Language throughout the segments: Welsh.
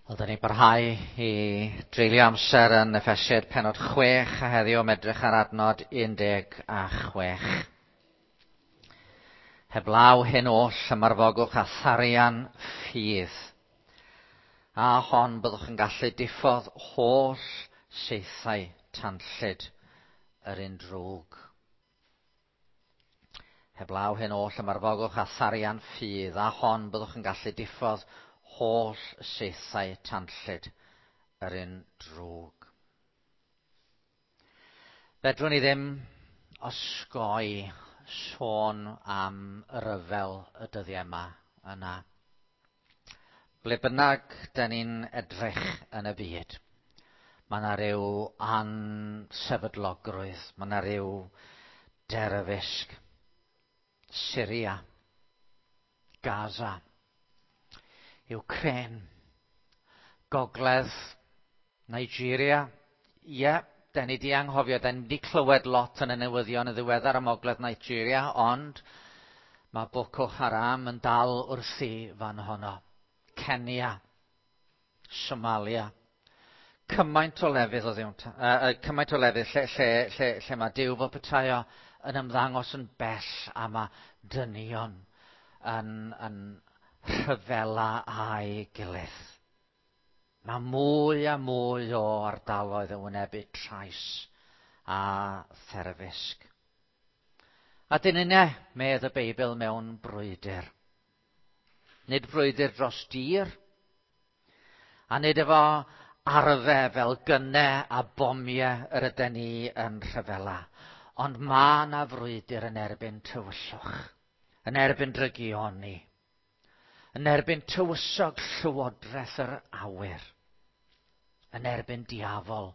Wel, da ni'n barhau i dreulio amser yn Effesiaid pennod 6 a heddiw am edrych ar adnod 16. Heblaw hyn oll ymarfogwch a tharian ffydd. A hon byddwch yn gallu diffodd holl saethau tanllyd yr un drwg. Heblaw hyn oll ymarfogwch a tharian ffydd, a hon byddwch yn gallu diffodd holl saethau tanllyd yr un drwg. Fedrwn ni ddim osgoi sôn am y ryfel y dyddiau yma yna. Ble bynnag da ni'n edrych yn y byd, mae yna ryw ansefydlogrwydd, mae yna ryw derfysg. Syria, Gaza, Ukraine, Gogledd, Nigeria. Ie, yeah, da ni di anghofio, da ni di clywed lot yn y newyddion yn ddiweddar am Ogledd Nigeria, ond mae Boko Haram yn dal wrthi fan honno. Kenya, Somalia. Cymaint o lefydd o ddiwn, cymaint o lefydd lle, lle, lle, lle mae Duw fel petai o yn ymddangos yn bell a mae dynion yn, yn rhyfela â'i gilydd. Mae mwy a mwy o ardaloedd yn wynebu trais a therfysg. A dyn yna, medd y Beibl mewn brwydr. Nid brwydr dros dir, a nid efo arfe fel gynnau a bomiau yr ydyn ni yn rhyfela. Ond mae yna frwydr yn erbyn tywyllwch, yn erbyn drygioni, yn erbyn tywysog llywodraeth yr awyr, yn erbyn diafol,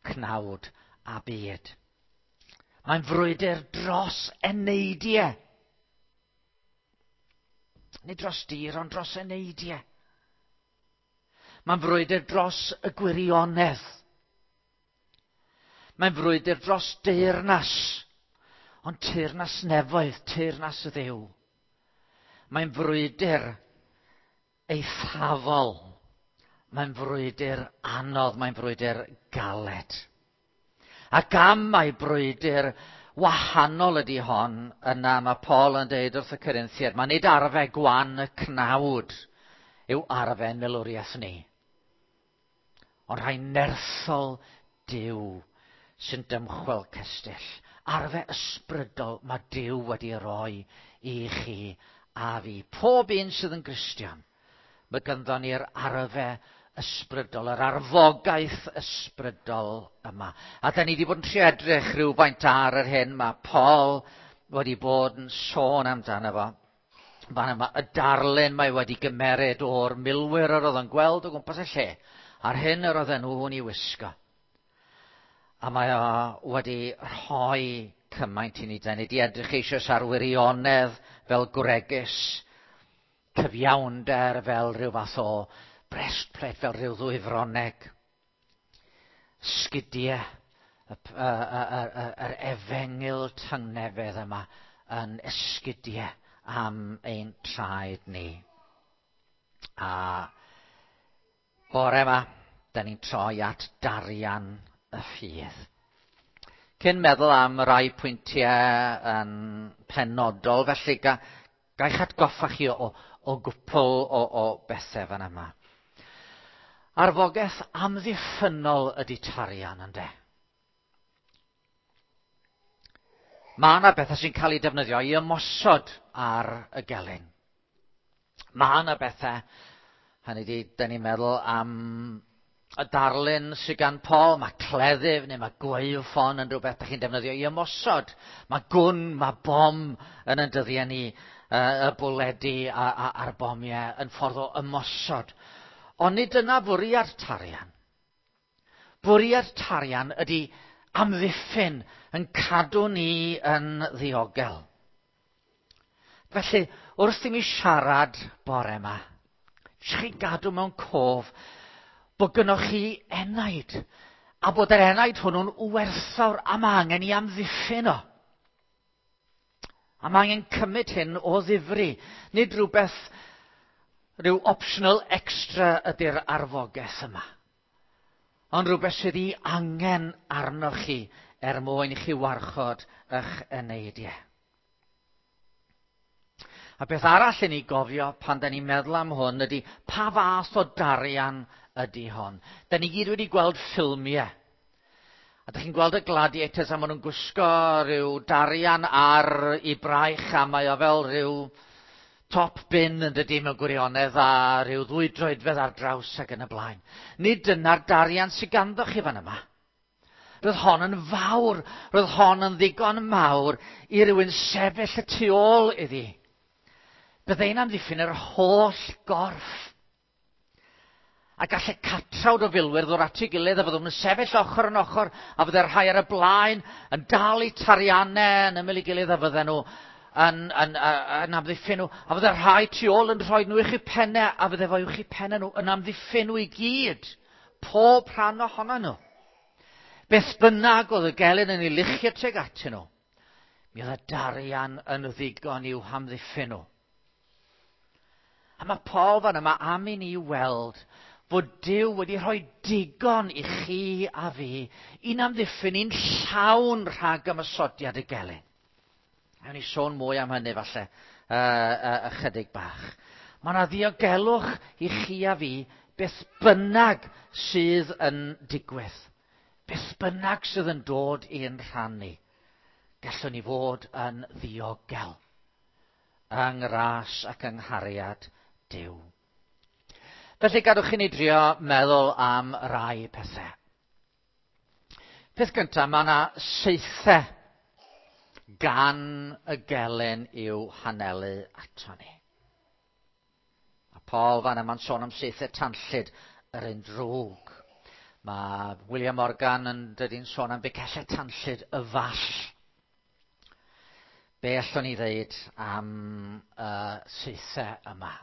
cnawd a byd. Mae'n frwydr dros eneidiau. Nid dros dir, ond dros eneidiau. Mae'n frwydr dros y gwirionedd. Mae'n frwydr dros deyrnas, ond teyrnas nefoedd, teyrnas y Dduw. Mae'n frwydr eithafol. Mae'n frwydr anodd, mae'n frwydr galed. Ac am mai brwydr wahanol ydy hon, yna mae Paul yn dweud wrth y Corinthiaid, mae nid arfe gwan y cnawd yw arfe milwriaeth ni, ond rhai nerthol Duw sy'n dymchwel cestyll. Arfe ysbrydol mae Duw wedi roi i chi a fi. Pob un sydd yn Gristion, mae ganddo ni'r arfe ysbrydol, yr arfogaeth ysbrydol yma. A da ni wedi bod yn trio edrych rhywfaint ar yr hyn mae Paul wedi bod yn sôn amdano fo. Fan yma, y darlun mae wedi gymeryd o'r milwyr yr oedd yn gweld o gwmpas y lle, a'r hyn yr oedden nhw'n ei wisgo. A mae o wedi rhoi cymaint i ni. Da ni wedi edrych eisoes ar wirionedd fel gwregys, cyfiawnder fel rhyw fath o breastplate, fel rhyw ddwyfroneg, sgidiau, yr efengyl tangnefedd yma yn esgidiau am ein traed ni. A bore yma, da ni'n troi at darian y ffydd. Cyn meddwl am rai pwyntiau yn penodol, felly ga, gaich atgoffa chi o, o gwpl o, o bethau fan yma. Arfogaeth amddiffynnol ydy tarian, ynde? Mae yna bethau sy'n cael eu defnyddio i ymosod ar y gelyn. Mae yna bethau, hynny di, da ni'n meddwl am y darlun sydd gan Paul, mae cleddyf neu mae gwaywffon yn rhywbeth da chi'n defnyddio i ymosod. Mae gwn, mae bom yn yn dyddiau ni, y bwledi a'r bomiau yn ffordd o ymosod. Ond nid dyna fwriad tarian. Bwriad tarian ydy amddiffyn yn cadw ni yn ddiogel. Felly, wrth i mi siarad bore yma, chi gadw mewn cof bod gynnoch chi enaid, a bod yr enaid hwnnw'n werthfawr a mae angen i amddiffyn o. A mae angen cymryd hyn o ddifri, nid rhywbeth rhyw optional extra ydy'r arfogaeth yma. Ond rhywbeth sydd ei angen arnoch chi er mwyn i chi warchod eich eneidiau. A beth arall i ni gofio pan da ni'n meddwl am hwn ydy pa fath o darian ydy hon. Da ni gyd wedi gweld ffilmiau. A da chi'n gweld y gladiators a maen nhw'n gwisgo rhyw darian ar ei braich a mae o fel rhyw top bin yn dydy mewn gwirionedd a rhyw 2 droedfedd ar draws ac yn y blaen. Nid dyna'r darian sydd ganddo chi fan yma. Roedd hon yn fawr, roedd hon yn ddigon mawr i rywun sefyll y tu ôl iddi. Byddai'n amddiffyn yr holl gorff. A gallai catrawd o filwyr ddod at ei gilydd a fyddwn yn sefyll ochr yn ochr a fyddai'r rhai ar y blaen yn dal eu tariannau yn ymyl ei gilydd a fydden nhw yn amddiffyn nhw. A fyddai'r rhai tu ôl yn rhoi nhw uwch eu pennau a fyddai fo uwch eu pennau nhw yn amddiffyn nhw i gyd. Pob rhan ohono nhw. Beth bynnag oedd y gelyn yn ei luchio tuag atyn nhw, mi oedd y darian yn ddigon i'w hamddiffyn nhw. A mae Paul fan yma am i ni weld fod Duw wedi rhoi digon i chi a fi i'n amddiffyn ni'n llawn rhag ymosodiad y gelyn. Awn ni sôn mwy am hynny falle ychydig bach. Mae yna ddiogelwch i chi a fi beth bynnag sydd yn digwydd. Beth bynnag sydd yn dod i'n rhan ni. Gallwn ni fod yn ddiogel yng ngras ac yng nghariad Duw. Felly gadwch i ni drio meddwl am rai pethau. Peth gyntaf, mae yna saethau gan y gelyn i'w hanelu ato ni. A Paul fan yma'n sôn am saethau tanllyd yr un drwg. Mae William Morgan yn dydi'n sôn am ficellau tanllyd y fall. Be allwn ni ddeud am y saethau yma?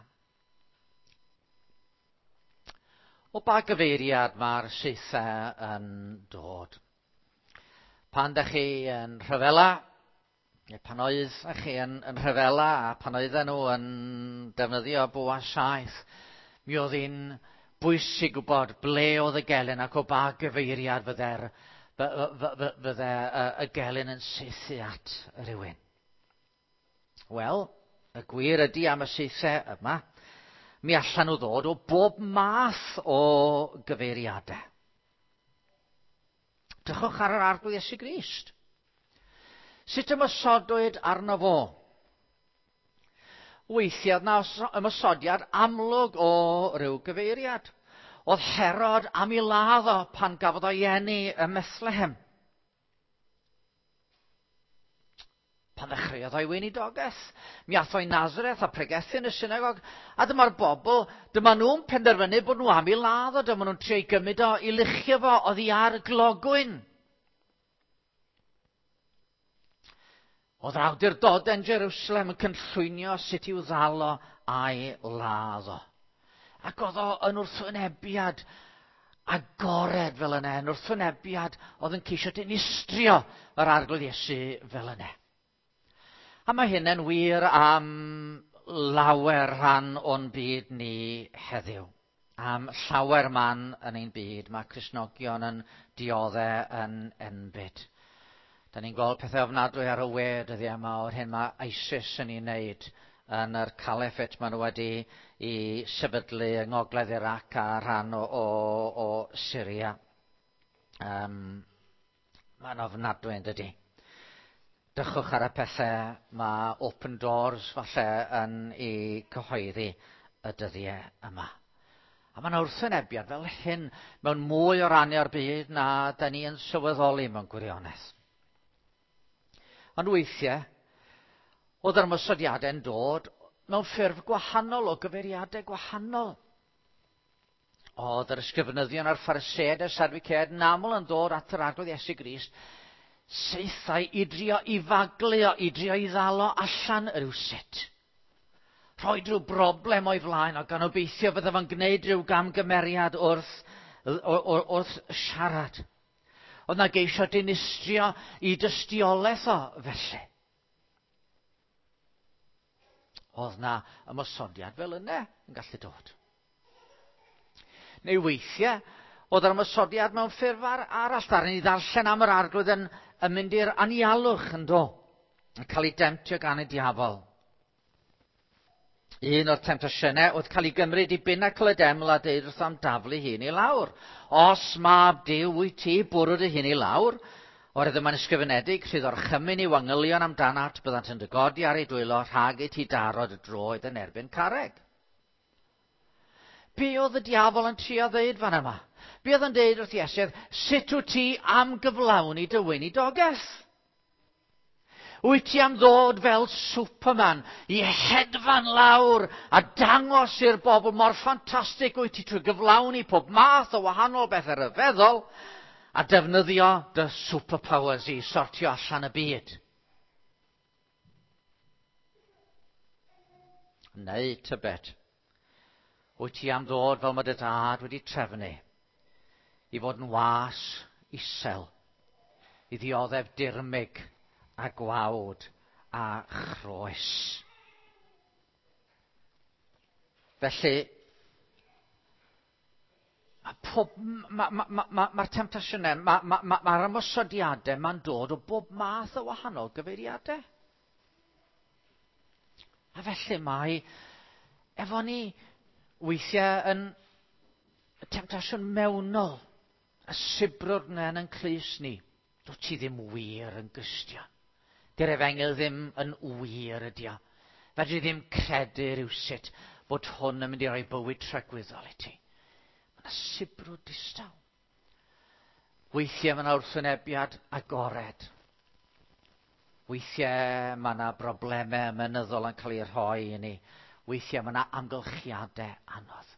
O ba gyfeiriad mae'r saethau yn dod? Pan da chi yn rhyfela, neu pan oedd chi yn rhyfela a pan oedden nhw yn defnyddio bwa saeth, mi oedd hi'n bwysig gwybod ble oedd y gelyn ac o ba gyfeiriad fydde y gelyn yn saethu at rhywun. Wel, y gwir ydy am y saethau yma, mi allan nhw ddod o bob math o gyfeiriadau. Drychwch ar yr Arglwydd Iesu Grist. Sut ymosodwyd arno fo? Weithiau oedd 'na ymosodiad amlwg o ryw gyfeiriad. Oedd Herod am ei ladd o pan gafodd o'i eni ym Methlehem. Pan ddechreuodd o'i weinidogaeth, mi ath o'i Nazareth a pregethu yn y synagog, a dyma'r bobl, dyma nhw'n penderfynu bod nhw am ei ladd o, dyma nhw'n trio ei gymryd o, i luchio fo oddi ar y glogwyn. Oedd yr awdurdodau yn Jerusalem yn cynllwynio sut i'w ddal o a'i ladd o. Ac oedd o yn wrthwynebiad agored fel yna, yn wrthwynebiad oedd yn ceisio dinistrio yr Arglwydd Iesu fel yna. A mae hyn yn wir am lawer rhan o'n byd ni heddiw. Am llawer man yn ein byd, mae Cristnogion yn dioddef yn enbyd. Da ni'n gweld pethau ofnadwy ar y we dyddiau yma o'r hyn mae ISIS yn ei wneud yn yr caliphate maen nhw wedi i sefydlu yng ngogledd Iraq a rhan o Syria. Mae'n ofnadwy yn dydy. Drychwch ar y pethau mae Open Doors falle yn ei cyhoeddi y dyddiau yma. A mae'n wrthwynebiad fel hyn mewn mwy o rannau o'r byd na da ni yn sylweddoli mewn gwirionedd. Ond weithiau, oedd yr ymosodiadau'n dod mewn ffurf gwahanol, o gyfeiriadau gwahanol. Oedd yr ysgrifenyddion a'r Phariseaid a'r Sadwceaid yn aml yn dod at yr Arglwydd Iesu Grist, saethau i drio i faglu o, i drio i ddal o allan rywsut. Rhoi rhyw broblem o'i flaen o, gan obeithio fydde fo'n gwneud rhyw gamgymeriad wrth siarad. Oedd na geisio dinistrio i dystiolaeth o felly. Oedd na ymosodiad fel yna yn gallu dod. Neu weithiau, oedd yr ymosodiad mewn ffurf arall. Ddaru ni ddarllen am yr Arglwydd yn, yn mynd i'r anialwch yn do, yn cael ei demtio gan y diafol. Un o'r temtasiynau oedd cael ei gymryd i binacl y deml a deud wrth am daflu hun i lawr. Os mab Duw wyt ti, bwrw dy hun i lawr. Oherwydd yma'n ysgrifenedig, rhydd orchymyn i'w angylion amdanat, byddant yn dy godi ar ei dwylo rhag i ti daro dy droed yn erbyn carreg. Be oedd y diafol yn trio ddeud fan yma? Be oedd yn deud wrth Iesu oedd, sut wyt ti am gyflawni dy weinidogaeth? Wyt ti am ddod fel Superman i hedfan lawr a dangos i'r bobl mor ffantastig wyt ti trwy gyflawni pob math o wahanol bethau rhyfeddol a defnyddio dy superpowers i sortio allan y byd? Neu tybed, wyt ti am ddod fel mae dy dad wedi trefnu i fod yn was isel, i ddioddef dirmyg a gwawd a chroes? Felly, mae pob, mae'r ma, ma, ma, ma temtasiynau, mae'r ma, ma, ma ymosodiadau ma'n dod o bob math o wahanol gyfeiriadau. A felly mae efo ni weithiau yn temtasiwn mewnol, y sibrwd yna yn clust ni. Dwyt ti ddim wir yn Gristion. Dy'r efengyl ddim yn wir ydi o. Fedri ddim credu rhywsut bod hwn yn mynd i roi bywyd tragwyddol i ti. Mae yna sibrwd distaw. Weithiau mae yna wrthwynebiad agored. Weithiau mae yna broblemau ymenyddol yn cael eu rhoi i ni. Weithiau mae yna amgylchiadau anodd.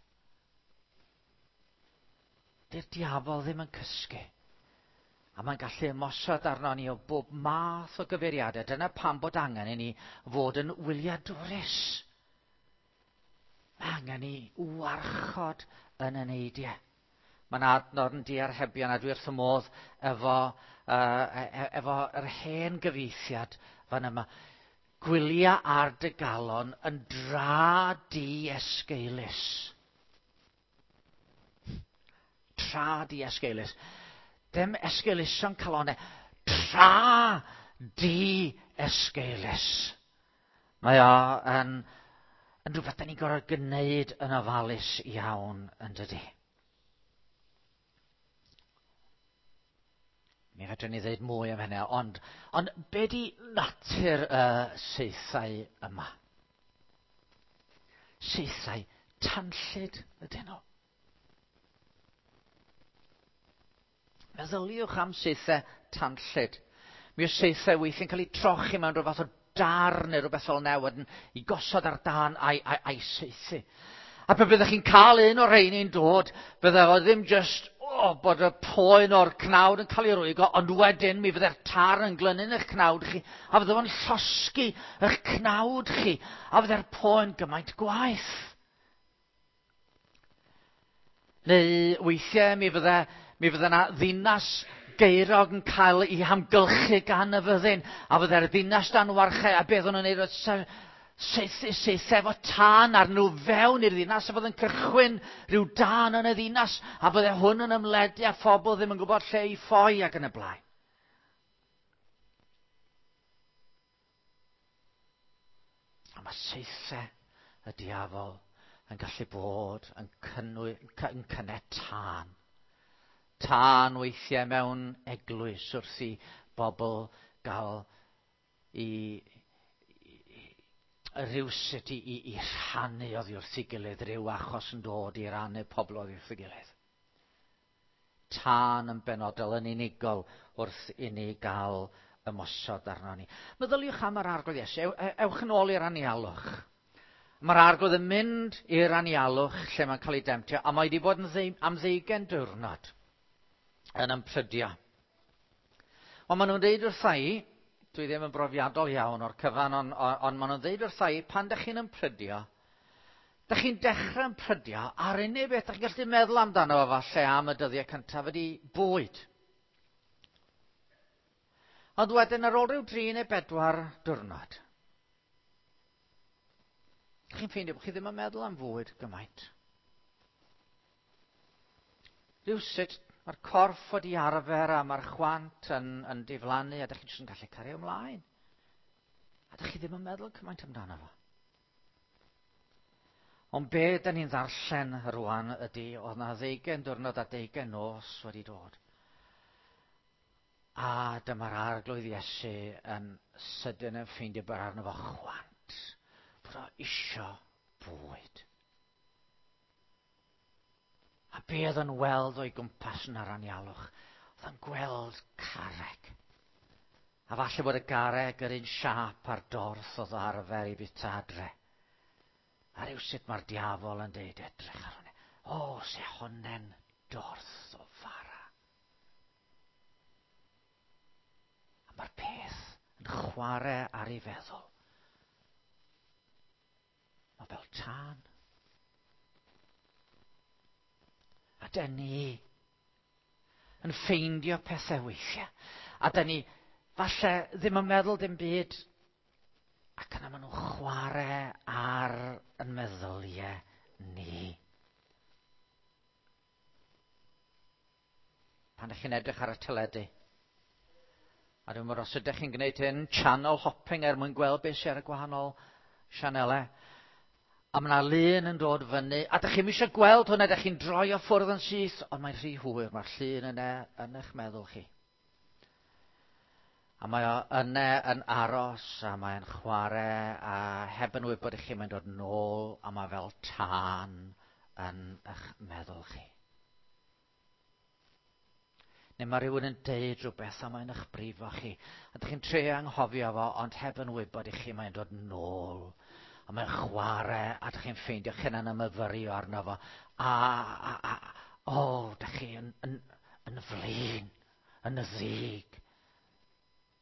Dy'r diafol ddim yn cysgu. A mae'n gallu ymosod arno ni o bob math o gyfeiriadau. Dyna pam bod angen i ni fod yn wyliadwrus. Mae angen i warchod yn y neidiau. Mae'n adnod yn diarhebion a dwi wrth y modd efo, efo yr hen gyfieithiad fan yma. Gwylia ar dy galon yn dra di esgeulus. Tra di esgeulus. Dim esgeulusion calonau. Tra di esgeulus. Mae o yn, yn rhywbeth da ni'n gorfod gwneud yn ofalus iawn yn dydi. Mi fedrwn ni ddeud mwy am hynny, ond, ond be di natur y saethau yma? Saethau tanllyd ydyn nhw. Meddyliwch am saethau tanllyd. Mi oes saethau weithiau'n cael eu trochi mewn rhyw fath o dar neu rhywbeth fel yna wedyn i gosod ar dan a'i, a'i, a'i saethu. A pe byddech chi'n cael un o'r rheini'n dod, bydde fo ddim just oh, bod y poen o'r cnawd yn cael ei rwygo, ond wedyn mi fydde'r tar yn glynu yn eich cnawd chi, a fydde fo'n llosgi eich cnawd chi, a fydde'r poen gymaint gwaeth. Neu weithiau mi fydde, mi fydde yna ddinas gaerog yn cael ei hamgylchu gan y fyddin, a fydde'r ddinas dan warchau, a beth o'n nhw'n neud oedd saethu saethu efo tân ar nhw fewn i'r ddinas, a fydde'n cychwyn rhyw dân yn y ddinas, a fydde hwn yn ymledu a phobl ddim yn gwybod lle i ffoi ac yn y blaen. A mae saethau y diafol yn gallu bod yn, cynnwy, yn cynnau tân. Tân weithiau mewn eglwys wrth i bobl gael i, i, rhywsut i, i, i rhannu oddi wrth ei gilydd, rhyw achos yn dod i rannu pobl oddi wrth ei gilydd. Tân yn benodol yn unigol wrth i ni gael ymosod arno ni. Meddyliwch am yr Arglwydd Iesu. Ewch yn ôl i'r anialwch. Mae'r Arglwydd yn mynd i'r anialwch lle mae'n cael ei demtio, a mae wedi bod yn ddeu, am ddeugain diwrnod yn ymprydio. Ond maen nhw'n deud wrtha i, dwi ddim yn brofiadol iawn o'r cyfan, ond on, on maen nhw'n deud wrtha i, pan dych chi'n ymprydio, dych chi'n dechrau ymprydio, a'r unig beth dych chi'n gallu meddwl amdano fo falle am y dyddiau cyntaf ydy bwyd. Ond wedyn ar ôl rhyw dri neu bedwar diwrnod, Chi'n ffeindio bod chi ddim yn meddwl am fwyd gymaint. Rhywsut, mae'r corff wedi arfer a mae'r chwant yn diflannu a dych chi jyst yn gallu cario ymlaen. A dych chi ddim yn meddwl cymaint amdano fo. Ond be da ni'n ddarllen rwan ydy, oedd na 20 diwrnod a 20 nos wedi dod. A dyma'r Arglwydd Iesu yn sydyn yn ffeindio bod arno fo chwant, bod o isio bwyd. A be oedd yn weld o'i gwmpas yn yr anialwch? Oedd yn gweld carreg. A falle bod y garreg yr un siâp a'r dorth oedd o arfer i bita adre. A rhywsut mae'r diafol yn deud, edrych ar hwnna. O, se honne'n dorth o fara. A mae'r peth yn chwarae ar ei feddwl. Mae fel tân. A dyn ni yn ffeindio pethau weithiau. A dyn ni falle ddim yn meddwl dim byd. Ac yna maen nhw'n chwarae ar yn meddyliau ni. Pan ydych chi'n edrych ar y teledu, a dwi'n meddwl os ydych chi'n gwneud hyn, channel hopping er mwyn gweld beth sydd ar y gwahanol sianelau, a mae yna lun yn dod fyny, a dych chi'n eisiau gweld hwnna, dych chi'n droi o ffwrdd yn syth, ond mae'n rhy hwyr, mae'r llun yna yn eich meddwl chi. A mae o yna yn aros, a mae'n chwarae, a heb yn wybod i chi, mae'n dod nôl, a mae fel tân yn eich meddwl chi. Neu mae rhywun yn deud rhywbeth a mae'n eich brifo chi. A dych chi'n trio anghofio fo, ond heb yn wybod i chi, mae'n dod nôl. A mae'n chwarae, a dych chi'n ffeindio chi'n yn myfyrio arno fo. A, o, dych chi yn flin, yn ddig.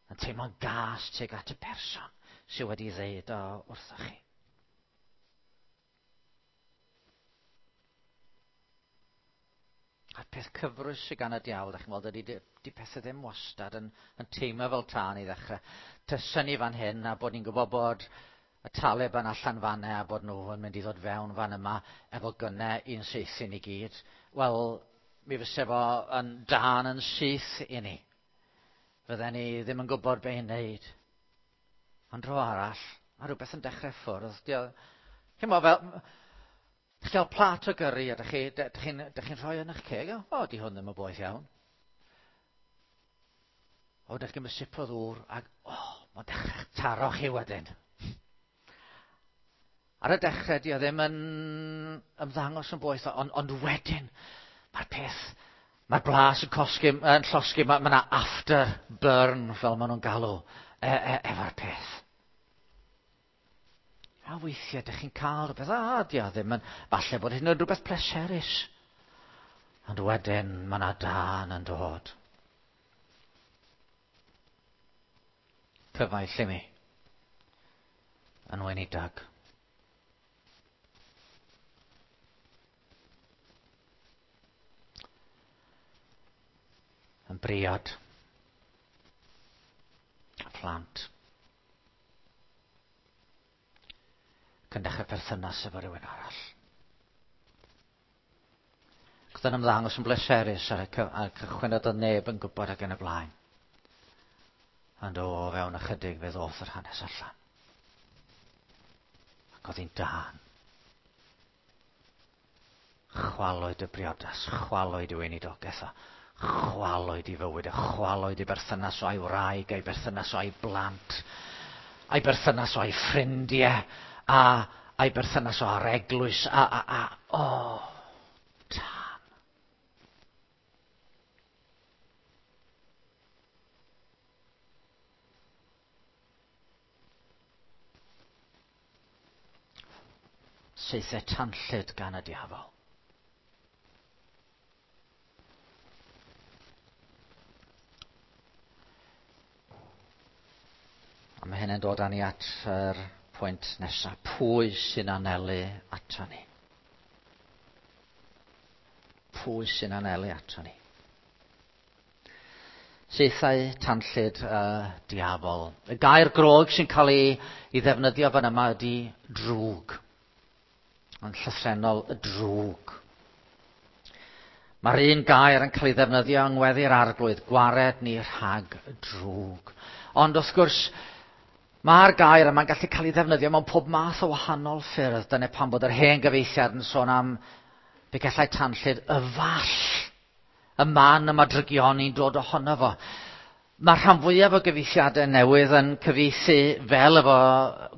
Yn teimlo'n gas tuag at y person sydd wedi ddeud o wrthoch chi. A'r peth cyfrwys sydd gan y diawl, dach chi'n weld, ydy di pethau ddim wastad yn teimlo fel tân i ddechrau. Tysen ni fan hyn a bod ni'n gwybod bod y Taliban allan fan a bod nhw yn mynd i ddod fewn fan yma efo gynnau i'n saethu ni gyd. Wel, mi fyse fo yn dân yn syth i ni. Fydden ni ddim yn gwybod be i wneud. Ond dro arall, mae rhywbeth yn dechrau ffwrdd. Chi'n meddwl fel, chi'n cael plat o gyrri a dych chi'n rhoi yn eich ceg? O, di hwn ddim yn boeth iawn. O, dych chi'n gymryd sip o ddŵr ac, o, mae'n dechrau taro chi wedyn. Ar y dechrau, di o ddim yn ymddangos yn boeth, ond wedyn, mae'r peth, mae'r blas yn cosgi, yn llosgi, mae yna after burn, fel maen nhw'n galw, efo'r peth. A weithiau, dych chi'n cael rhywbeth, a di o ddim yn, falle bod hyn yn rhywbeth pleserus. Ond wedyn, mae yna dân yn dod. Cyfaill i mi, yn weinidog. Yn briod. A phlant. Ac yn dechrau perthynas efo rhywun arall. Ac oedd yn ymddangos yn bleserus ar y cychwyn oedd neb yn gwybod ac yn y blaen. Ond o fewn ychydig fe ddoth yr hanes allan. Ac oedd hi'n dân. Chwalwyd y briodas, chwalwyd y weinidogaeth, a chwalwyd i fywyd, a chwalwyd i berthynas o'i wraig, a'i berthynas o'i blant, a'i berthynas o'i ffrindiau, a'i berthynas o'r eglwys, a, o, tân. Saethau tanllyd gan y diafol. A mae hynny'n dod â ni at yr pwynt nesaf. Pwy sy'n anelu ato ni? Pwy sy'n anelu ato ni? Saethau tanllyd y diafol. Y gair Groeg sy'n cael ei ddefnyddio fan yma ydy drwg. Mae'n llythrennol y drwg. Mae'r un gair yn cael ei ddefnyddio yng ngweddi'r Arglwydd, gwared ni rhag y drwg. Ond wrth gwrs, mae'r gair yma'n gallu cael ei ddefnyddio mewn pob math o wahanol ffyrdd. Dyna pam bod yr hen gyfeithiad yn sôn am begellau tanllyd y fall, y man y mae drygioni'n dod ohono fo. Mae rhan fwyaf o gyfieithiadau newydd yn cyfieithu fel efo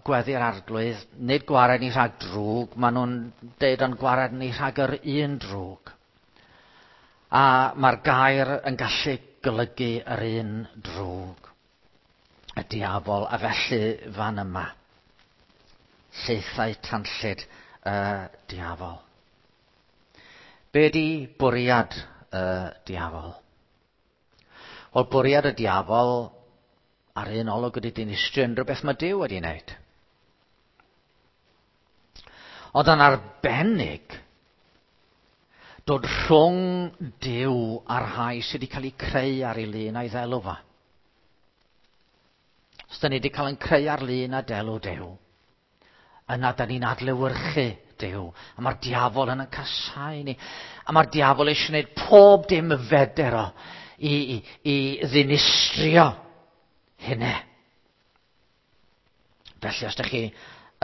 gweddi'r Arglwydd, nid gwared ni rhag drwg, maen nhw'n deud ond gwared ni rhag yr un drwg. A mae'r gair yn gallu golygu yr un drwg, y diafol, a felly fan yma, llaethau tanllyd y diafol. Be di bwriad y diafol? Wel, bwriad y diafol ar un olwg ydy dinistrio unrhyw beth mae Duw wedi wneud. Ond yn arbennig, dod rhwng Duw a'r rhai sydd wedi cael eu creu ar ei lun a'i ddelw fo. Os da ni wedi cael ein creu ar lun a delw Duw, yna da ni'n adlewyrchu Duw. A mae'r diafol yn casau ni. A mae'r diafol eisiau gwneud pob dim feder o i ddinistrio hynny. Felly, os ydych chi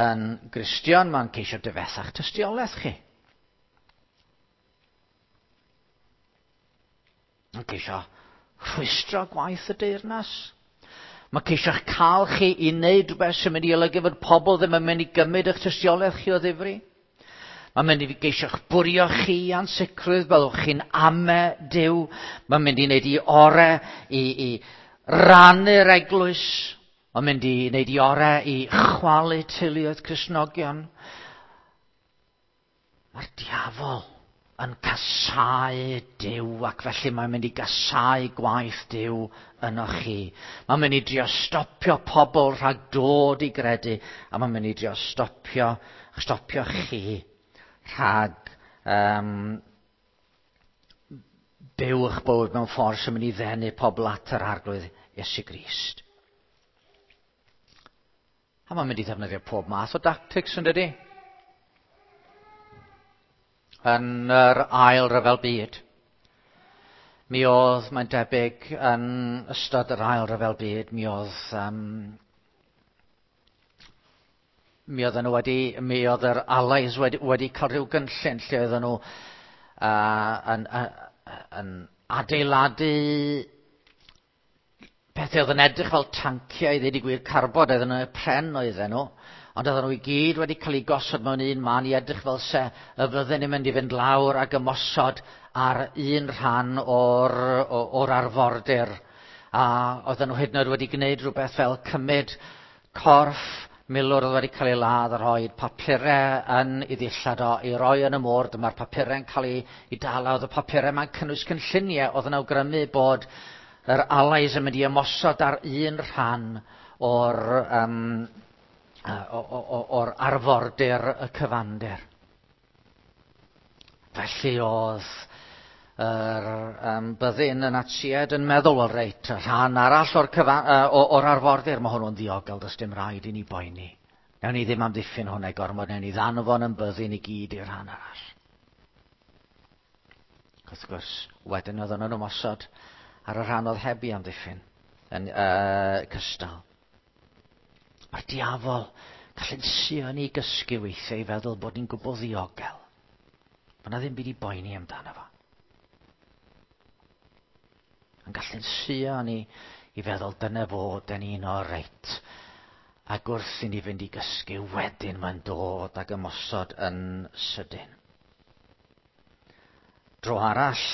yn Gristion, mae'n ceisio difetha'ch tystiolaeth chi. Mae'n ceisio rhwystro gwaith y deyrnas. Mae'n ceisio'ch cael chi i wneud rhywbeth sy'n mynd i olygu fod pobl ddim yn mynd i gymryd eich tystiolaeth chi o ddifri. Mae'n mynd i geisio'ch bwrio chi i ansicrwydd, byddwch chi'n ame Duw. Mae'n mynd i wneud i ore i rannu'r eglwys. Mae'n mynd i wneud i ore i chwalu teuluoedd Cristnogion. Mae'r diafol yn casáu Duw, ac felly mae'n mynd i gasáu gwaith Duw yno chi. Mae'n mynd i drio stopio pobl rhag dod i gredu, a mae'n mynd i drio stopio chi rhag byw eich bywyd mewn ffordd sy'n mynd i ddenu pobl at yr Arglwydd Iesu Grist. A mae'n mynd i ddefnyddio pob math o dactics, yn dydi? Yn yr ail ryfel byd, mi oedd, mae'n debyg, yn ystod yr ail ryfel byd, mi oedd, mi oedden nhw wedi, mi oedd yr Allies wedi cael rhyw gynllun lle oedden nhw yn adeiladu pethau oedd yn edrych fel tanciau, i ddweud y gwir, carbod, oedden nhw, pren oedden nhw, ond oedden nhw i gyd wedi cael eu gosod mewn un man i edrych fel se y fydden nhw'n mynd i fynd lawr ac ymosod ar un rhan o'r arfordir. A oedden nhw hyd yn oed wedi gwneud rhywbeth fel cymryd corff milwr oedd wedi cael ei ladd a rhoi papurau yn ei ddillad o i roi yn y môr. Dyma'r papurau'n cael ei dala. Oedd y papurau yma'n cynnwys cynlluniau oedd yn awgrymu bod yr Allies yn mynd i ymosod ar un rhan o'r arfordir y cyfandir. Felly oedd yr byddin y Natsiaid yn meddwl, wel reit, y rhan arall o'r arfordir, mae hwnnw'n ddiogel, does dim rhaid i ni boeni. Newn ni ddim amddiffyn hwnna i gormod, newn ni ddanfon yn byddin i gyd i'r rhan arall. Wrth gwrs, wedyn oedden nhw'n ymosod ar y rhan oedd heb i amddiffyn yn cystal. Mae'r diafol gallu'n suo ni gysgu weithiau i feddwl bod ni'n gwbl ddiogel. Mae yna ddim byd i boeni amdano fo. Yn gallu'n suo ni i feddwl dyna fo, dyn ni'n o reit. Ac wrth i ni fynd i gysgu wedyn mae'n dod ag ymosod yn sydyn. Dro arall,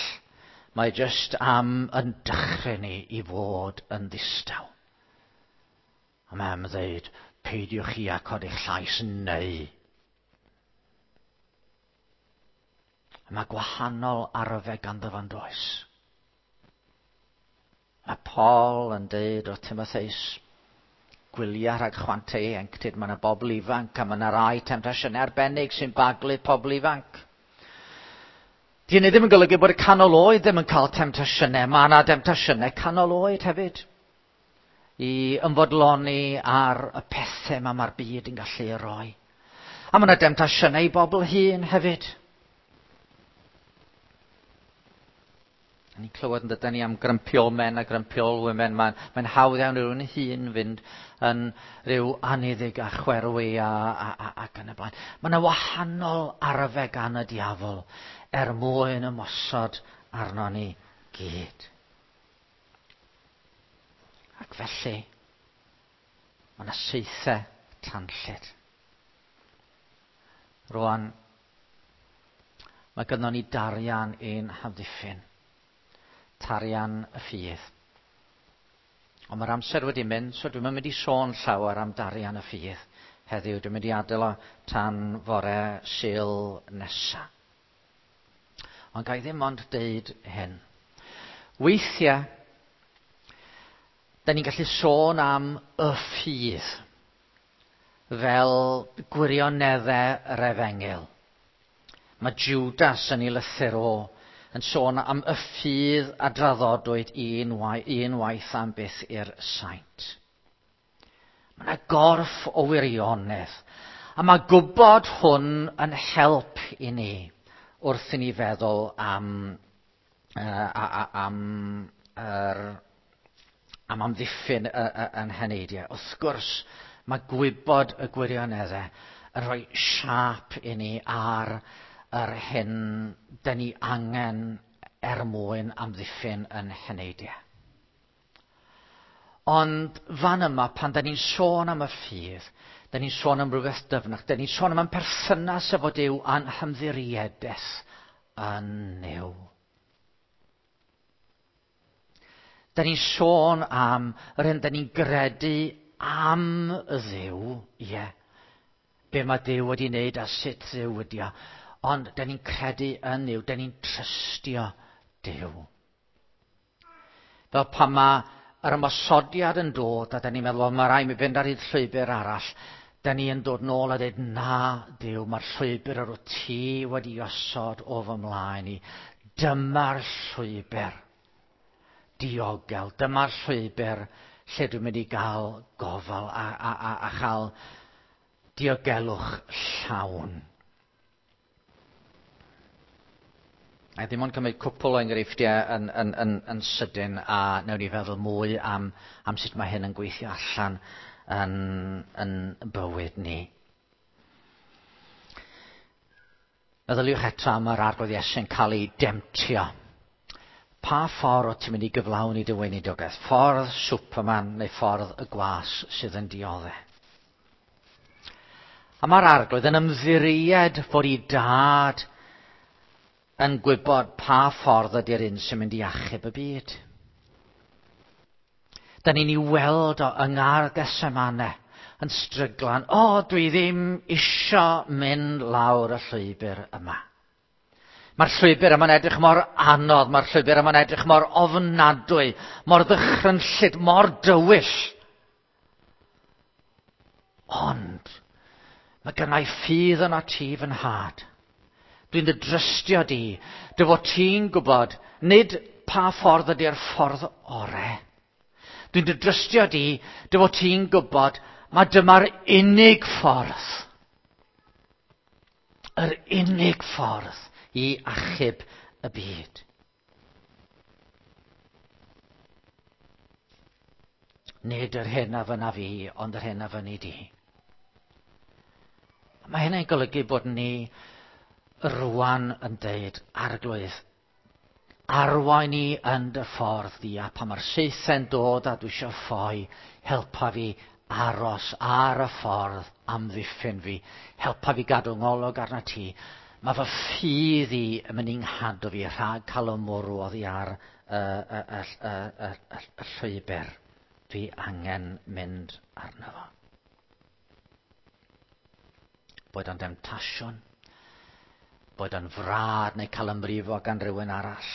mae jyst am yn dechrau ni i fod yn ddistaw. A mae am ddeud, peidiwch chi a codi'ch llais neu. A mae gwahanol arfau ganddo fo'n does. Mae Paul yn deud wrth Timotheus, gwylia rhag chwantau ieuenctid, mae yna bobl ifanc a mae yna rai temtasiynau arbennig sy'n baglu pobl ifanc. Di hynny ddim yn golygu bod y canol oed ddim yn cael temtasiynau, mae yna demtasiynau canol oed hefyd. I ymfodloni ar y pethau yma mae'r byd yn gallu ei roi. A mae yna demtasiynau i bobl hŷn hefyd. Ni'n clywed yn dydyn ni am grumpy old men a grumpy old women. Mae'n mae hawdd iawn i rywun hŷn fynd yn rhyw anniddig a chwerwi a, a, a, ac yn y blaen. Mae yna wahanol arfe gan y diafol er mwyn ymosod arno ni gyd. Ac felly, mae yna saethau tanllyd. Rwan, mae gynnon ni darian ein hamddiffyn. Tarian y ffydd. Ond mae'r amser wedi mynd, so dwi'm yn mynd i sôn llawer am darian y ffydd heddiw. Dwi'n mynd i adael o tan fore Sul nesa. Ond ga i ddim ond deud hyn. Weithiau, da ni'n gallu sôn am y ffydd fel gwirioneddau yr efengyl. Mae Judas yn ei lythyr o yn sôn am y ffydd a draddodwyd un, un waith am byth i'r saint. Mae yna gorff o wirionedd, a mae gwybod hwn yn help i ni wrth i ni feddwl am, uh, am, er, am amddiffyn yn heneidiau. Wrth gwrs, mae gwybod y gwirioneddau yn rhoi siâp i ni ar yr hyn dyn ni angen er mwyn amddiffyn yn heneidiau. Ond fan yma, pan da ni'n sôn am y ffydd, da ni'n sôn am rhywbeth dyfnach, da ni'n sôn am ein perthynas efo Duw a'n hymddiriedaeth yn Nuw. Da ni'n sôn am yr hyn da ni'n gredu am y Dduw, ie. Yeah. Be mae Duw wedi wneud a sut Dduw wedi o. Ond da ni'n credu yn Nuw, da ni'n trystio Duw. Fel pan mae yr ymosodiad yn dod a da ni'n meddwl, mae rhaid mi fynd ar hyd llwybr arall, da ni yn dod nôl a dweud, na, Duw, mae'r llwybr yr wyt ti wedi osod o fy mlaen i. Dyma'r llwybr diogel, dyma'r llwybr lle dwi'n mynd i gael gofal a, a, a, a chael diogelwch llawn. A ddim ond cymryd cwpl o enghreifftiau yn, yn, yn, yn sydyn a wnawn ni feddwl mwy am, am sut mae hyn yn gweithio allan yn, yn bywyd ni. Meddyliwch eto am yr Arglwydd Iesu'n cael ei demtio. Pa ffordd o ti'n mynd i gyflawni dy weinidogaeth? Ffordd Superman neu ffordd y gwas sydd yn dioddef? A mae'r Arglwydd yn ymddiried fod ei dad yn gwybod pa ffordd ydy'r un sy'n mynd i achub y byd. Da ni'n ei weld o yng Ngardd Gethsemane yn stryglan. O, dwi ddim isio mynd lawr y llwybr yma. Mae'r llwybr yma'n edrych mor anodd, mae'r llwybr yma'n edrych mor ofnadwy, mor ddychrynllyd, mor dywyll. Ond, mae gennau ffydd yna ti fy nhad. Dwi'n dy drystio di, dy fod ti'n gwybod, nid pa ffordd ydy'r ffordd ore. Dwi'n dy drystio di, dy fod ti'n gwybod, mae dyma'r unig ffordd. Yr unig ffordd i achub y byd. Nid yr hyn a fyna fi, ond yr hyn a fyny di. Mae hynny'n golygu bod ni rwan yn deud, Arglwydd, arwain i yn dy ffordd di, a pan mae'r saethau'n dod a dwi eisiau ffoi, helpa fi aros ar y ffordd amddiffyn fi, helpa fi gadw ngolwg arna ti. Mae fy ffydd i yn mynd i'n nghadw fi rhag cael y mwrw oddi ar y, y, y, y, y, y, y llwybr dwi angen mynd arno fo. Boed o'n demtasiwn, boed o'n frad neu cael ymbrifo gan rhywun arall,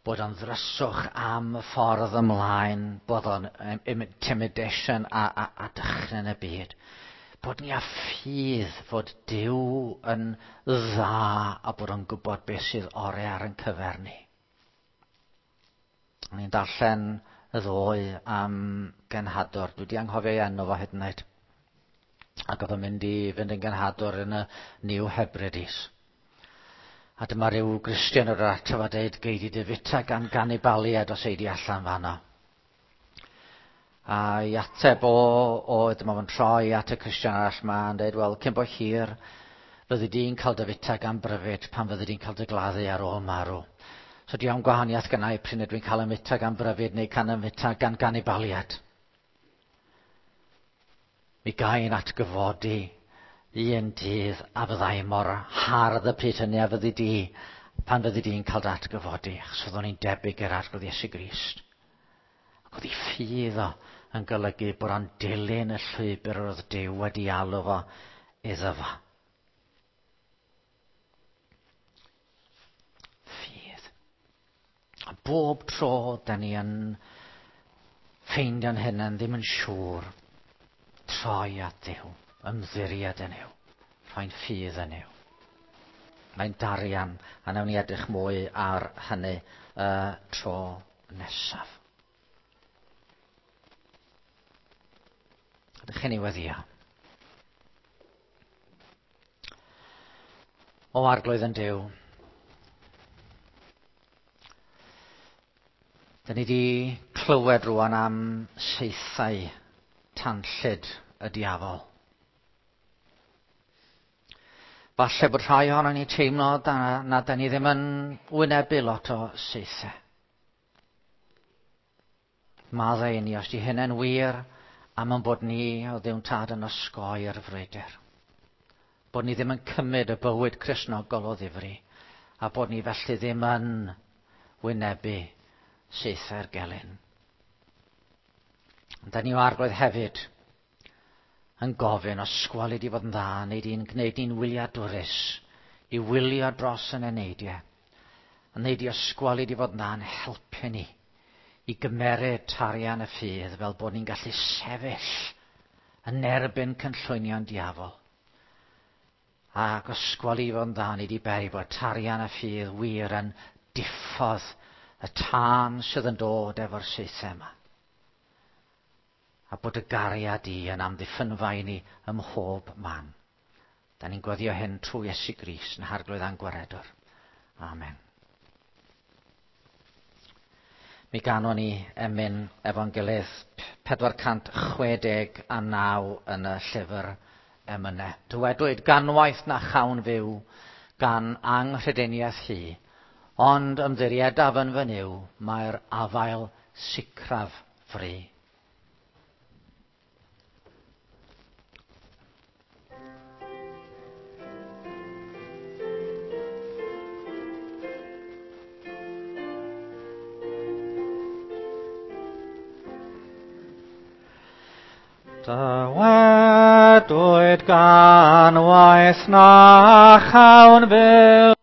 bod o'n ddryswch am y ffordd ymlaen, bod o'n intimidation a, a, a dychryn y byd. Bod ni â ffydd fod Duw yn dda a bod o'n gwybod beth sydd orau ar ein cyfer ni. O'n i'n darllen y ddoe am genhadwr. Dwi wedi anghofio ei enw fo hyd yn oed. Ac oedd o'n mynd i fynd yn genhadwr yn y New Hebrides. A dyma ryw Gristion o'r ato fo deud, gei di dy fita gan ganibaliad os ei di allan fanno. A i ateb o, oedd dyma fo'n troi at y Cristion arall ma yn dweud, wel, cyn bo hir, fyddi di'n cael dy fita gan bryfyd pan fyddi di'n cael dy gladdu ar ôl marw. So diolch gwahaniaeth gynnau pryn ydw i'n cael y mita gan bryfyd neu can y mita gan ganibaliad. Mi gael atgyfodi un dydd a fyddai mor hardd y pryd hynny a fyddi di pan fyddi di'n cael dy atgyfodi, achos fyddwn ni'n debyg i'r Arglwydd Iesu Grist. Ac oedd ei ffydd o yn golygu bod o'n dilyn y llwybr oedd Duw wedi alw fo iddo fo. Ffydd. A bob tro da ni yn ffeindio'n hunain ddim yn siŵr, troi at Dduw, ymddiried yn Nuw, rhoi'n ffydd yn Nuw. Mae'n darian, a nawn ni edrych mwy ar hynny y tro nesaf. Ydych chi'n ei weddio? O Arglwydd yn Duw, da ni wedi clywed rwan am saethau tanllyd y diafol. Falle bod rhai ohono ni teimlo da, na da ni ddim yn wynebu lot o saethau. Maddau i ni os di hynny'n wir am yn bod ni o Dduw'n Tad yn osgoi'r frwydr. Bod ni ddim yn cymryd y bywyd Cristnogol o ddifri a bod ni felly ddim yn wynebu saethau'r gelyn. Ond da ni o Arglwydd hefyd yn gofyn os gweli di fod yn dda, neu di'n gwneud ni'n wyliadwrus i wylio dros yn eneidiau. A neu di ysgweli di fod yn dda yn helpu ni i gymeryd tarian y ffydd fel bod ni'n gallu sefyll yn erbyn cynllwynion diafol. Ac ysgweli fod yn dda, ni di beri bod tarian y ffydd wir yn diffodd y tân sydd yn dod efo'r saethau yma. A bod y gariad i yn amddiffynfa i ni ym mhob man. Da ni'n gweddio hyn trwy Iesu Grist yn Harglwydd a'n Gwaredwr. Amen. Mi ganon ni emyn efo'n gilydd 469 yn y llyfr emynau. Dywedwyd ganwaith na chawn fyw gan anghrediniaeth hi, ond ymddiriedaf yn fy Nuw, mae'r afael sicraf fri. Dywedwyd gan waith na chawn fyw.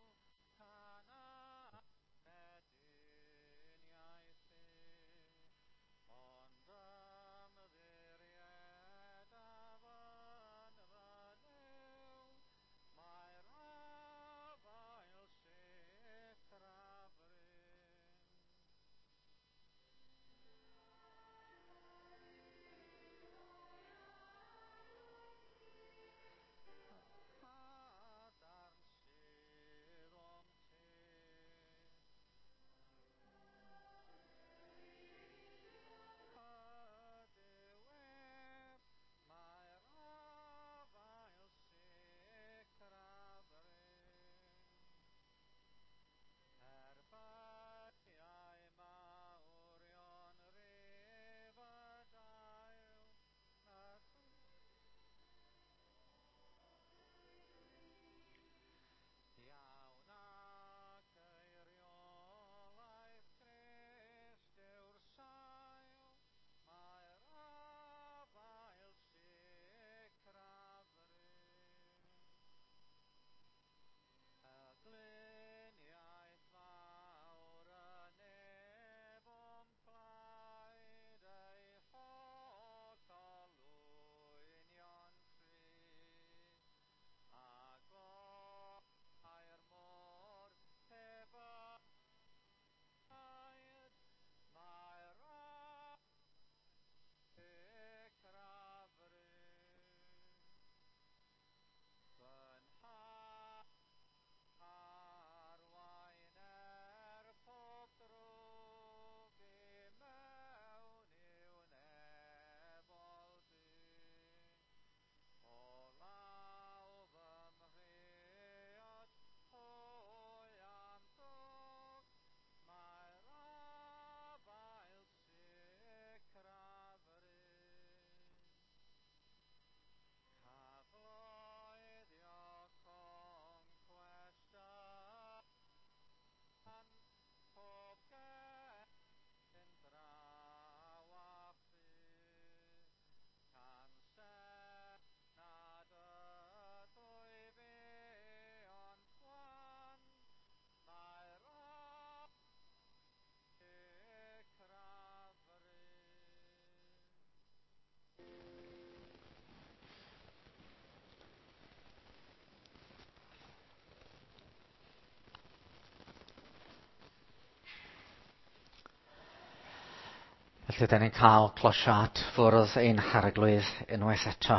Felly, da ni'n cael closiad fwrdd ein harglwydd unwaith eto.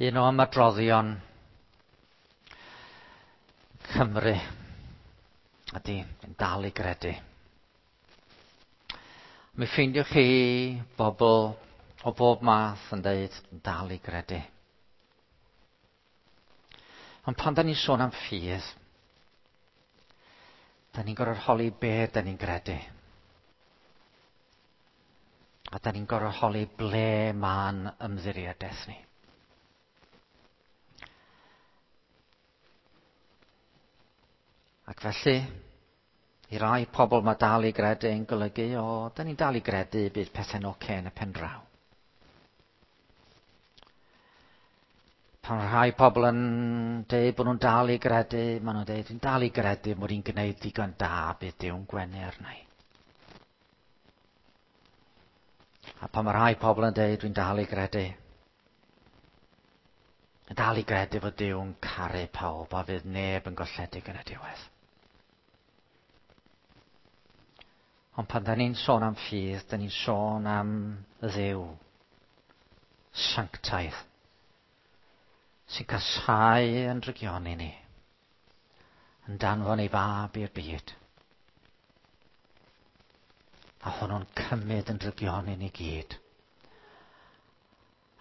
Un o ymadroddion Cymru ydy yn dal i gredu. Mi ffeindiwch chi bobl o bob math yn dweud yn dal i gredu. Ond pan da ni'n sôn am ffydd, da ni'n gorfod holi be da ni'n gredu. A da ni'n gorfod holi ble ma'n ymddiriedaeth ni. Ac felly, i rai pobl mae dal i gredu yn golygu, o, da ni'n dal i gredu bydd pethau'n oce yn y pen draw. Pan rhai pobl yn dweud bod nhw'n dal i gredu, maen nhw'n dweud, dwi'n dal i gredu mod i'n gwneud digon da, bydd Duw'n gwenu arna i. A pan mae rhai pobl yn dweud, dwi'n dal i gredu, yn dal i gredu fod Duw'n caru pawb a fydd neb yn golledig yn y diwedd. Ond pan da ni'n sôn am ffydd, da ni'n sôn am Dduw sanctaidd sy'n casáu yn drygioni ni, yn danfon ei fab i'r byd. A hwnnw'n cymryd yn drygioni ni gyd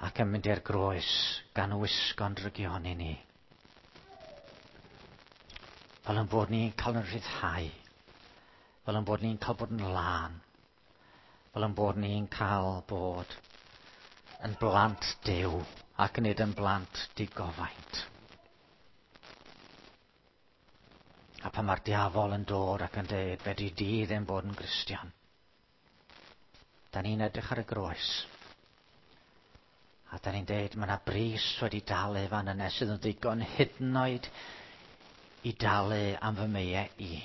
ac yn mynd i'r groes gan wisgo'n drygioni ni. Fel yn bod ni'n cael yn rhyddhau. Fel yn bod ni'n cael bod yn lân. Fel yn bod ni'n cael bod yn blant Duw ac nid yn blant digofaint. A pan mae'r diafol yn dod ac yn dweud, fedri di ddim bod yn Gristion. Da ni'n edrych ar y groes. A da ni'n deud, mae yna bris wedi dalu fan yna sydd yn ddigon hyd yn oed i dalu am fy meiau i.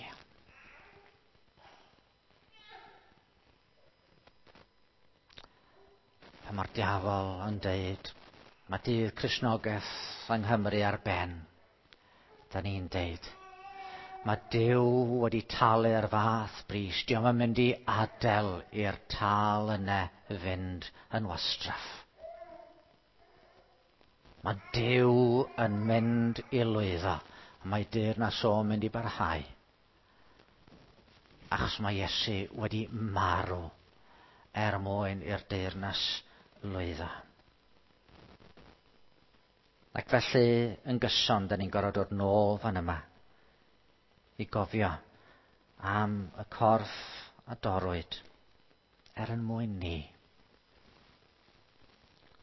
Pan mae'r diafol yn deud, mae dydd Cristnogaeth yng Nghymru ar ben. Da ni'n deud, mae Duw wedi talu'r fath bris. Dio'm yn mynd i adael i'r tâl yna fynd yn wastraff. Mae Duw yn mynd i lwyddo, a mae deyrnas o'n mynd i barhau. Achos mae Iesu wedi marw er mwyn i'r deyrnas lwyddo. Ac felly, yn gyson, da ni'n gorfod dod nôl fan yma i gofio am y corff a dorrwyd er yn mwyn ni.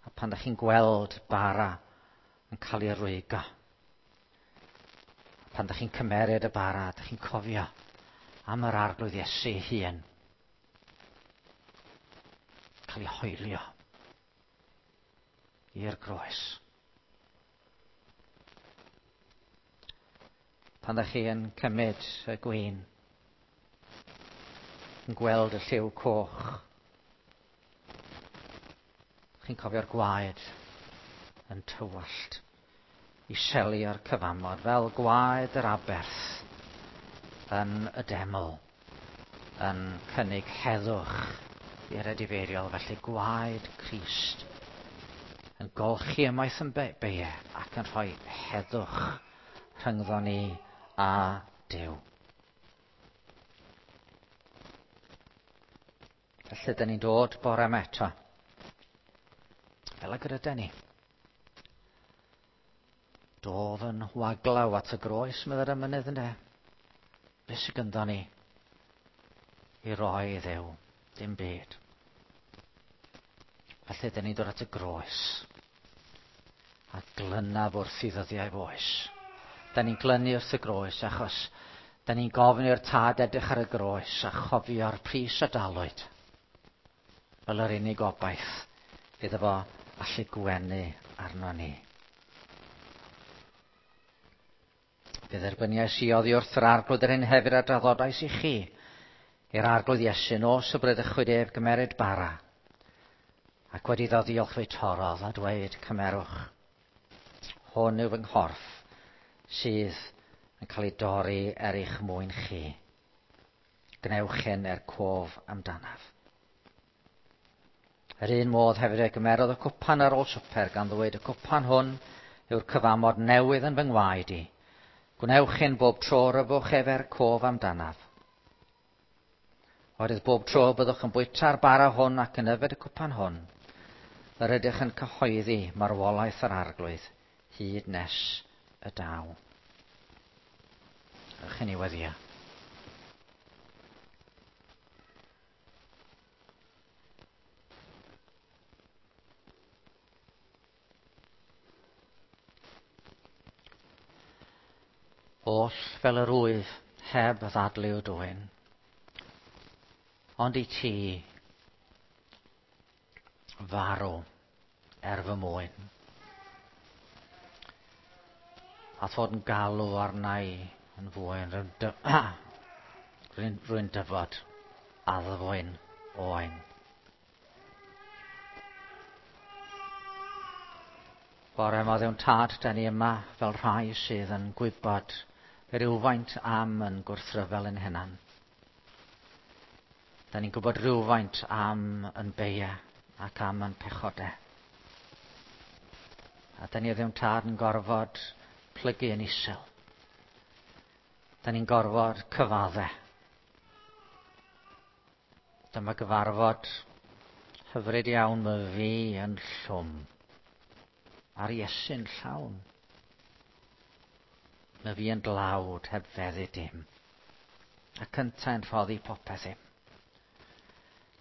A pan da chi'n gweld bara yn cael ei rwygo, pan da chi'n cymeryd y bara, da chi'n cofio am yr Arglwydd Iesu ei hun. Cael ei hoelio i'r groes. Pan da chi yn cymryd y gwin, yn gweld y lliw coch, chi'n cofio'r gwaed yn tywallt i selio'r cyfamod fel gwaed yr aberth yn y deml yn cynnig heddwch i'r edifeiriol, felly gwaed Crist yn golchi ymaith yn beie ac yn rhoi heddwch rhyngddo ni a Duw. Felly, dyn ni'n dod bore yma eto. Fel ag yr yden ni. Dof yn waglaw at y groes, meddai'r emynydd ynde. Be sydd gynddo ni i roi i Dduw? Dim byd. Felly, dyn ni'n dod at y groes. A glynaf wrth i ddyddiau foes. Da ni'n glynu wrth y groes achos da ni'n gofyn i'r tad edrych ar y groes a chofio'r pris a dalwyd fel yr unig obaith iddo fo allu gwenu arno ni. Fe dderbyniais i oddi wrth yr Arglwydd yr hyn hefyd a draddodais i chi, i'r Arglwydd Iesu, nos y bradychwyd ef gymeryd bara. Ac wedi iddo ddiolch fe torrodd a dweud, cymerwch, hwn yw fy nghorff sydd yn cael ei dorri er eich mwyn chi. Gwnewch hyn er cof amdanaf. Yr un modd hefyd e gymerodd y cwpan ar ôl swper gan ddweud, y cwpan hwn yw'r cyfamod newydd yn fy ngwaed i. Gwnewch hyn bob tro rhyfwch ef er cof amdanaf. Oherwydd bob tro byddwch yn bwyta'r bara hwn ac yn yfed y cwpan hwn, yr ydych yn cyhoeddi marwolaeth yr Arglwydd hyd nes y daw. Ewch i ni weddio. Oll fel yr wyf heb ddadlu o dwyn, ond i ti farw er fy mwyn. A fod yn galw arna i yn fwyn, rwy'n dyfod addfwyn oen. Bore yma ddewn tad, da ni yma fel rhai sydd yn gwybod rhywfaint am yn gwrthryfel yn hunan. Da ni'n gwybod rhywfaint am yn beia ac am yn pechodau. A da ni ddewn tad yn gorfod plygu yn isel. Da ni'n gorfod cyfadde. Dyma gyfarfod hyfryd iawn, mae fi yn llwm. A'r Iesu'n llawn. Mae fi yn dlawd heb feddu dim. A cyntau'n rhoddi popeth im.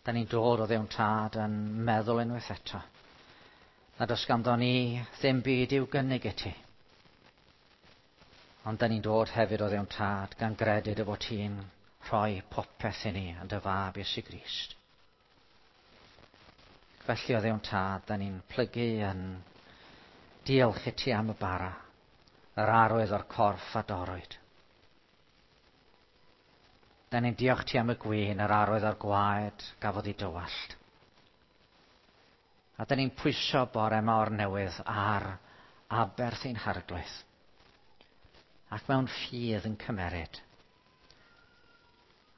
Da ni'n dod o ddewn tad yn meddwl unwaith eto. Nad oes ganddo ni ddim byd i'w gynnig i ti. Ond da ni'n dod hefyd o ddewn tad gan gredu dy fod ti'n rhoi popeth i ni yn dy fab Iesu Grist. Felly o ddewn tad, da ni'n plygu yn diolch i ti am y bara, yr arwydd o'r corff a dorrwyd. Da ni'n diolch ti am y gwin, yr arwydd o'r gwaed gafodd ei dywallt. A da ni'n pwyso bore yma o'r newydd ar aberth ein harglwydd. Ac mewn ffydd yn cymeryd.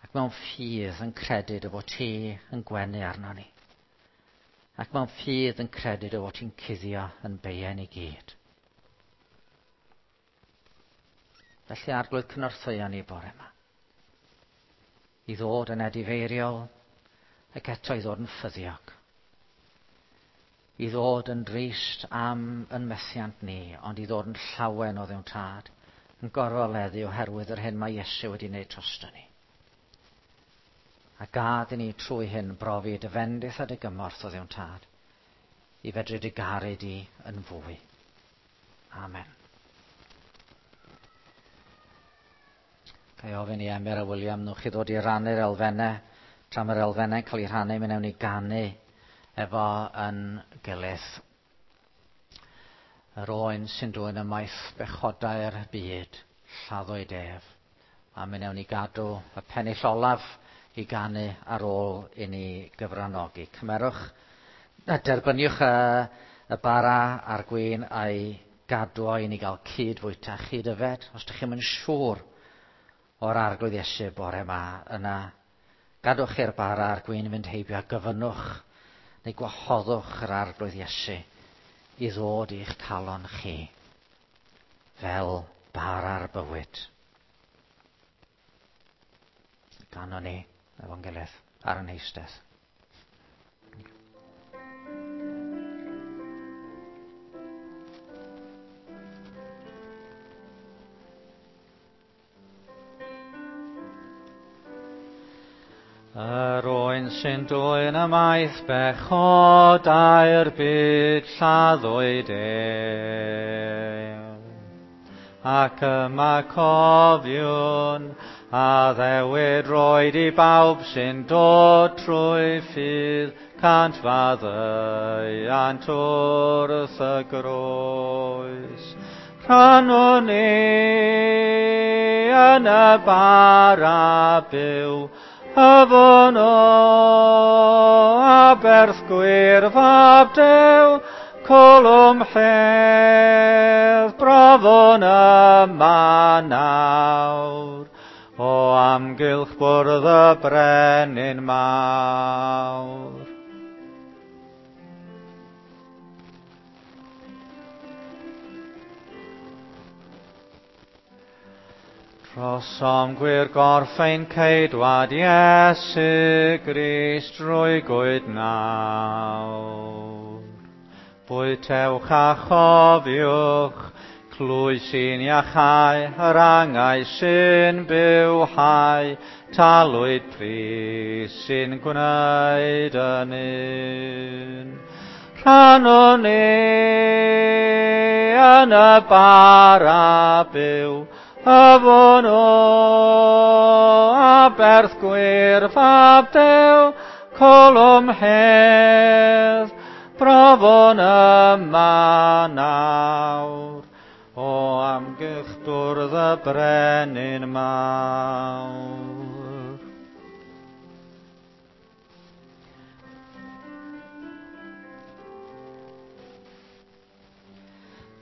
Ac mewn ffydd yn credu dy fod ti yn gwenu arno ni. Ac mewn ffydd yn credu dy fod ti'n cuddio yn beien i gyd. Felly Arglwydd, cynorthwyo ni bore yma. I ddod yn edifeiriol ac eto i ddod yn ffyddiog. I ddod yn drist am yn methiant ni, ond i ddod yn llawen o ddewn tad, yn gorfoleddu oherwydd yr hyn mae Iesu wedi wneud drosto ni. A gad i ni trwy hyn brofi dy fendith a dy gymorth o ddewn tad, i fedru dy garu di yn fwy. Amen. Ga i ofyn i Emyr a William, nwch chi ddod i rannu'r elfennau, tra mae'r elfennau'n cael eu rhannu, mi wnawn ni ganu efo yn gilydd. Yr oen sy'n dwyn ymaith bechodau'r byd, lladdwyd ef. A mi wnawn ni gadw y pennill olaf i ganu ar ôl i ni gyfranogi. Cymerwch, derbyniwch y bara a'r gwin a'i gadw o i ni gael cyd fwyta, chyd yfed. Os ydych chi'n siŵr o'r Arglwydd Iesu bore yma, yna gadwch i'r bara a'r gwin fynd heibio a gofynnwch neu gwahoddwch yr Arglwydd Iesu i ddod i'ch calon chi fel bara'r bywyd. Ganon ni efo'n gilydd ar yn eistedd. Yr oen sy'n dwyn ymaith bechodau'r byd lladdwyd ef. Ac yma cofiwn addewid roed i bawb sy'n dod trwy ffydd cant faddeuant wrth y groes. Rhannwn ni yn y bara byw, yfwn o a aberth gwir fab Duw, colwm hedd, brofwn yma nawr, o amgylch bwrdd y brenin mawr. Trosom gwir gorff ein ceidwad Iesu Grist drwy gwyd nawr. Bwytewch a chofiwch, clwy sy'n iachau, yr angau sy'n bywhau, talwyd pris sy'n gwneud yn un. Rhannwn ni yn y bara byw, Yfwn o aberth gwir fab Duw, colwm hedd, brofwn yma nawr, o amgylch bwrdd y brenin mawr.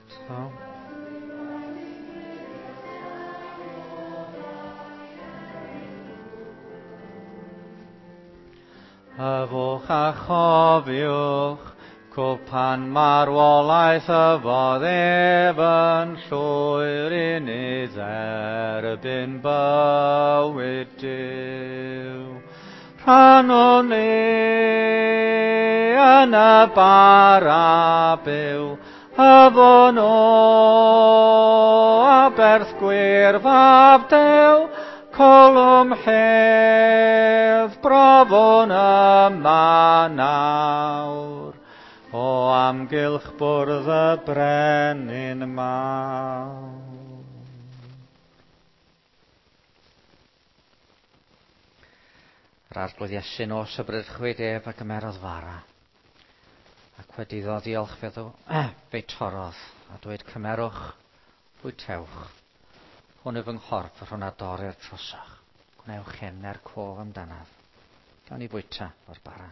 So. Yfwch a chofiwch, cwpan marwolaeth yfodd ef yn llwyr i ni dderbyn bywyd Duw. Rhannwn ni yn y bara byw, yfwn o aberth gwir fab Duw, colwm hedd, brofwn yma nawr, o amgylch bwrdd y brenin mawr. Yr Arglwydd Iesu nos y brydchwyd ef a gymerodd fara, ac wedi iddo ddiolch fe'i torrodd, a dweud cymerwch, bwytewch. Hwn yw fy nghorff yr hwn a dorrir trosoch. Gwnewch hyn er cof amdanaf. Gawn ni fwyta o'r bara.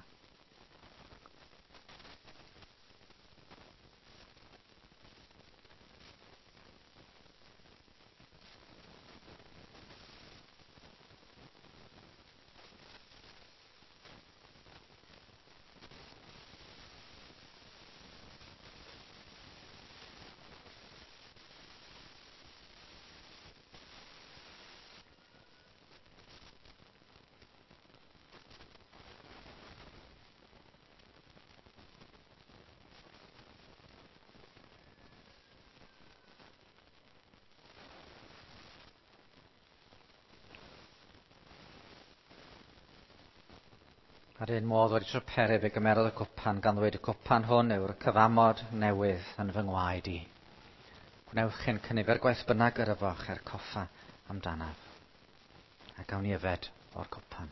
A'r un modd wedi swperu fe gymerodd y cwpan gan ddweud y cwpan hwn yw'r cyfamod newydd yn fy ngwaed i. Gwnewch hyn cynifer gwaith bynnag yr yfoch er coffa amdanaf. A gawn ni yfed o'r cwpan.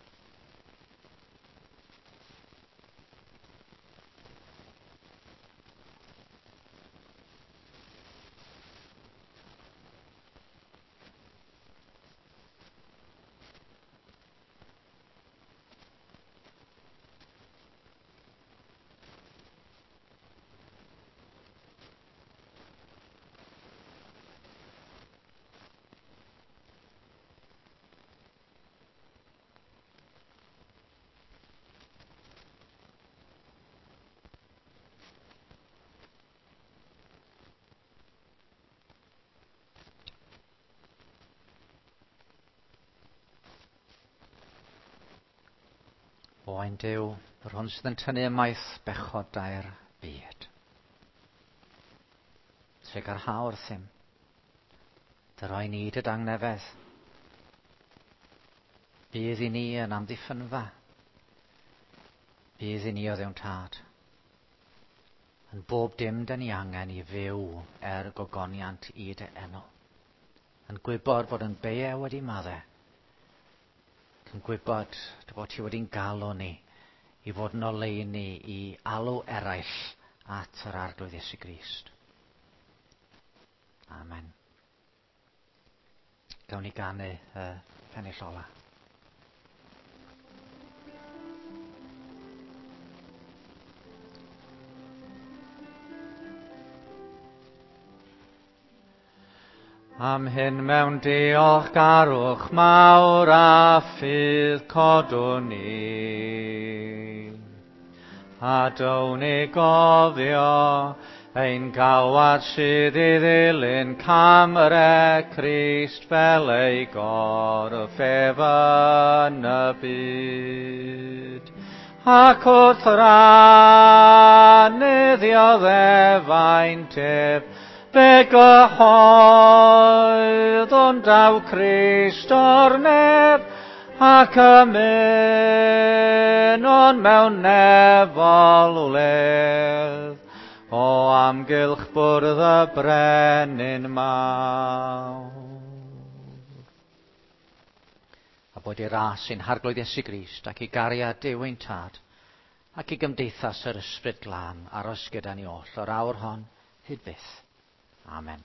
Oen Duw, yr hwn sydd yn tynnu ymaith bechodau'r byd. Trugarha wrthym, dy roi ni dy dangnefedd. Bydd i ni yn amddiffynfa. Bydd i ni o ddewn tad. Yn bob dim dyn ni angen i fyw er gogoniant i dy enw. Yn gwybod fod yn beie wedi maddau. Yn gwybod dy fod ti wedi'n galw ni i fod yn oleuni i alw eraill at yr Arglwydd Iesu Grist. Amen. Gawn ni ganu y pennill ola. Am hyn mewn diolchgarwch mawr a ffydd codwn ni. A down i gofio ein galwad sydd i ddilyn cam yr e Crist fel ei gorff ef yn y byd. Ac wrth rannu ddioddefaint ef, fe gyhoeddwn daw Crist o'r nef, ac ymunon mewn nefol wledd, o amgylch bwrdd y brenin mawr. A bod i ras ein harglwydd Iesu Grist ac i gariad Duw ein Tad ac i gymdeithas yr Ysbryd Glân aros gyda ni oll o'r awr hon hyd byth. Amen.